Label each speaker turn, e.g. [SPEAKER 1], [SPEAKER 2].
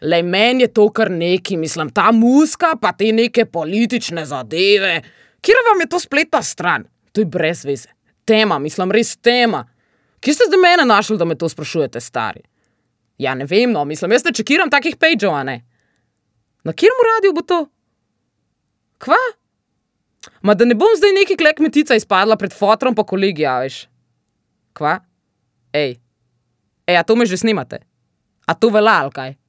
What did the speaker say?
[SPEAKER 1] Lej, meni je to kar neki, mislim, ta muzika, pa te neke politične zadeve. Kjera vam je to spletna stran? To je brez veze. Tema, mislim, res tema. Kje ste zdaj mene našli, da me to sprašujete, stari? Ja, ne vem, no, mislim, jaz ne čekiram takih pageov, a ne? Na kjeremu radiju bo to? Kva? Ma da ne bom zdaj neki kmetica izpadla pred fotrom pa kolegi, a veš? Kva? Ej, a to me že snimate? A to velja, ali kaj?